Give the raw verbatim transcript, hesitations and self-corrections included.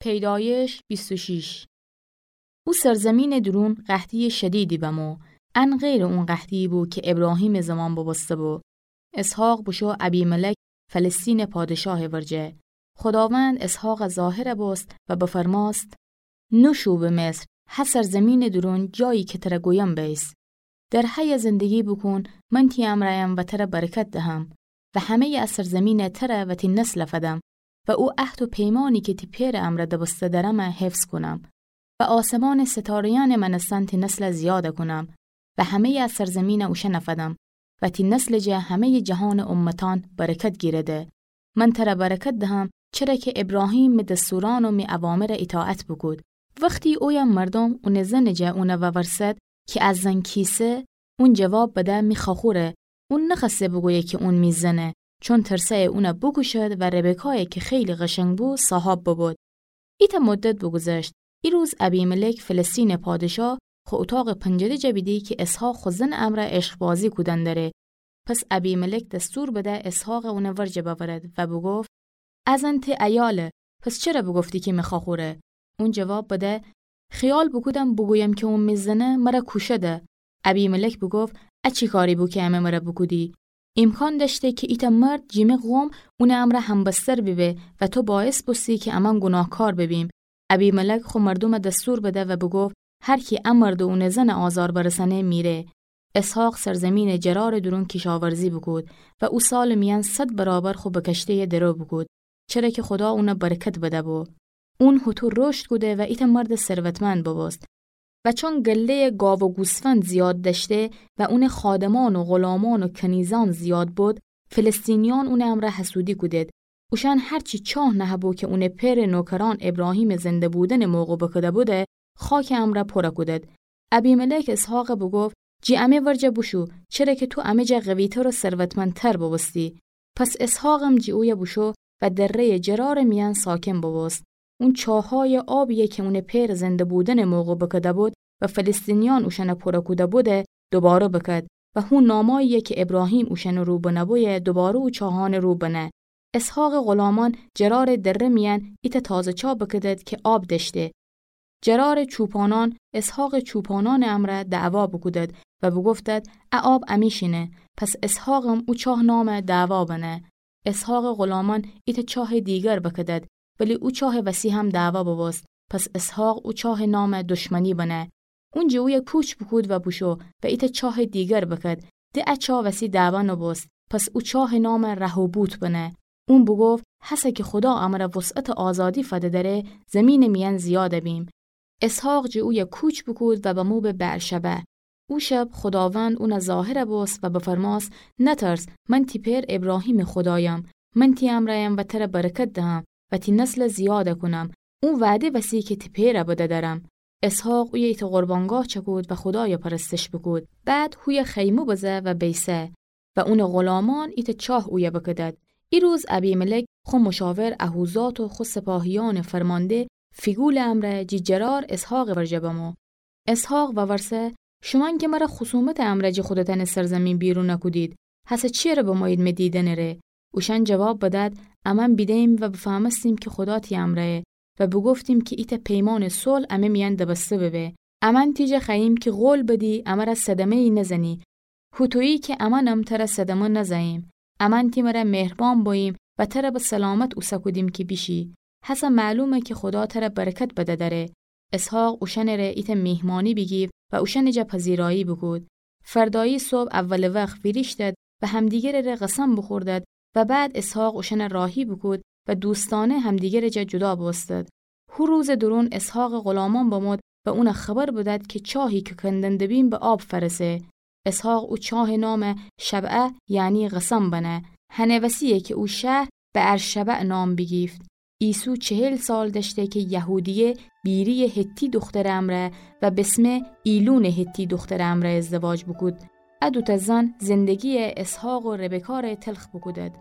پیدایش بیست و شش. او سرزمینٚ دورون قحطییٚ شدیدی بمو، ان غیرٚ اون قحطیی بو کی ابراهیمٚ زمان بوبوسته‌بو. اسحاق بوشو ابیملک فلسطینٚ پادشاهٚ ورجه. خوداوند اسحاقَ ظاهر بوست و بفرماست: نوشو به مصر، هه سرزمینٚ دورون، جایی کی تره گویم بیس. در هیه زندگی بوکون، من تی امرأیم و تره برکت دهم و همه‌یٚ ا سرزمینَ تره و تی نسلَ فدم و او عهد و پیمانی کی تی پئرٚ امرأ دبسته درمه حفظ کونم و آسمانٚ ستاره‌یأنٚ مأنستن تی نسلَ زیادَ کونم و همه‌یٚ ا سرزمینَ اوشأنَ فدم و تی نسلٚ جا همه‌یٚ جهانٚ امتأن برکت گیرده. من تره برکت دهم، چره کی ابراهیم می دستورأن و می اوامرَ ایطاعت بوکود. وختی اویه مردوم اونٚ زنٚ جا اونَ وورسد کی ا زن کیسه، اون جواب بده: می خوأخوره. اون نخوأسته بوگویه کی اون می زنه، چون ترسأیه اونَ بوکوشد و ربکایَ کی خیلی قشنگ بو، صاحاب ببود. ایتأ مدت بوگوذشت. ایروز ابیملک فلسطینٚ پادشاه خو اوطاقٚ پنجره جا بیدی کی اسحاق خو زنٚ امرأ عشقبازی کودن دره. پس ابیملک دستور بده اسحاقَ اونٚ ورجه بأورد و بوگفت: ا زن تی عیاله، پس چره بوگفتی کی می خوأخوره؟ اون جواب بده: خیال بوکودم بوگویم کی اون می زنه، مرَ کوشده. ابیملک بوگفت: ا چی کاری بو کی امه مرَ بوکودی؟ ایمکان دأشته کی ایتأ مرد جٚه می قوم اونٚ امرأ همبستر بیبه و تو باعث بوستی کی امأن گوناهکار ببیم. ابیملک خو مردومَ دستور بده و بوگفت: هر کی ا مرد و اونٚ زنَ آزار برسأنه، میره. اسحاق سرزمینٚ جرارٚ دورون کیشاورزی بوکود و او سالٚ میأن صد برابر خو بکشته‌یَ درو بوکود، چره کی خودا اونَ برکت بده‌بو. اون هوطو رشد کوده و ایتأ مردٚ ثروتمند بوبوست. و چون گله‌یٚ گاو و گوسفند زیاد دأشته و اونٚ خادمأن و غلامأن و کنیزأن زیاد بود، فلسطینیأن اونٚ امرأ حسودی کودید. اوشأن هر چی چاه نهه‌بو کی اونٚ پئرٚ نوکرأن ابراهیمٚ زنده بودنٚ موقع بوکوده‌بوده، خاکٚ امرأ پورَ کودید. ابیملک اسحاقَ بوگفت: جٚه امه ورجه بوشو، چره کی تو امه جا قوی‌تر و ثروتمندتر بوبوستی. پس اسحاقم جٚه اویه بوشو و دره‌یٚ جرارٚ میأن ساکن بوبوست. اون چاهأیٚ آبی‌یَ کی اونٚ پئرٚ زنده بودنٚ موقع بوکوده‌بود و فلسطینیأن اوشأنَ پورَ کوده‌بوده، دوباره بوکود و هو نامأیی‌یَ کی ابراهیم اوشأنٚ رو بنه‌بویه، دوباره او چاهأنٚ رو بنه. اسحاقٚ غلامأن جرارٚ دره میأن ایتأ تازه چاه بوکودید کی آب دأشته. جرارٚ چوپانأن اسحاقٚ چوپانأنٚ امرأ دعوا بوکودید و بوگفتید: ا آب امی‌شینه. پس اسحاقم او چاه نامَ دعوا بنه. اسحاقٚ غلامأن ایتأ چاهٚ دیگر بوکودید، ولی او چاهٚ وسی هم دعوا بوبوست. پس اسحاق او چاهٚ نامَ دشمنی بنه. اون جٚه اویه کوچ بوکود و بوشو و ایتأ چاهٚ دیگر بوکود. د ا چاه وسی دعوا نوبوست. پس او چاهٚ نامَ رهوبوت بنه. اون بوگفت: هسه کی خودا امرَ وسعتٚ آزادی فده دره، زیمینٚ میأن زیادَ بیم. اسحاق جٚه اویه کوچ بوکود و بمو به بئرشبع. او شب خوداوند اونَ ظاهرَ بوست و بفرماست: نترس، من تی پئر ابراهیمٚ خودایم. من تی امرأیم و ترَ برکت دهم و تی نسلَ زیادَ کونم، او وعده وسی کی تی پئرَ بده درم. اسحاق اویه ایتأ قربانگاه چکود و خودایَ پرستش بوکود. بعد هویه خیمه بزه و بیسه و اونٚ غلامأن ایتأ چاه اویه بوکودید. ایروز ابیملک خو مشاور اهوزات و خو سپاهیأنٚ فرمانده فیگولٚ امرأ جٚه جرار اسحاقٚ ورجه بمو. اسحاق وورسه: شومأن کی مرَ خصومتٚ امرأ جٚه خودتأنٚ سرزیمین بیرون کودید، هسه چیره بمویید می دیدنٚ ره؟ اوشأن جواب بدید: امأن بیده‌ییم و بفهمستیم کی خودا تی امرأیه و بوگفتیم کی ایتأ پیمانٚ صلح امه میأن دبسته ببه. امأن تی جا خوأییم کی قول بدی امرَ صدمه‌یی نزنی، هوطویی کی امأنم ترَ صدمه نزأییم. امأن تی مرَ مهربان بوییم و ترَ به سلامت اوسه کودیم کی بیشی. هسه معلومه کی خودا ترَ برکت بده دره. اسحاق اوشأنٚ ره ایتأ میهمانی بیگیفت و اوشأنٚ جا پذیرایی بوکود. فردایی صبح اولٚ وخت ویریشتید و همدیگرٚ ره قسم بوخوردید و بعد اسحاق اوشأنَ راهی بوکود و دوستأنه همدیگرٚ جا جدا بوستید. هو روزٚ دورون اسحاقٚ غلامأن بمود و اونَ خبر بدید کی چاهی کی کندن دبیم به آب فأرسه. اسحاق او چاهٚ نامَ شبعه، یعنی قسم بنه. هنٚ وسی‌یه کی او شهر بئرشبع نام بیگیفت. ایسو چهل سال دأشته کی یهودیه بیری‌یٚ حتی دوخترٚ امرأ و بسمه ایلونٚ حتی دوخترٚ امرأ ازدواج بوکود. ا دوتأ زن زندگی‌یٚ اسحاق و ربکا ره تلخ بوکودید.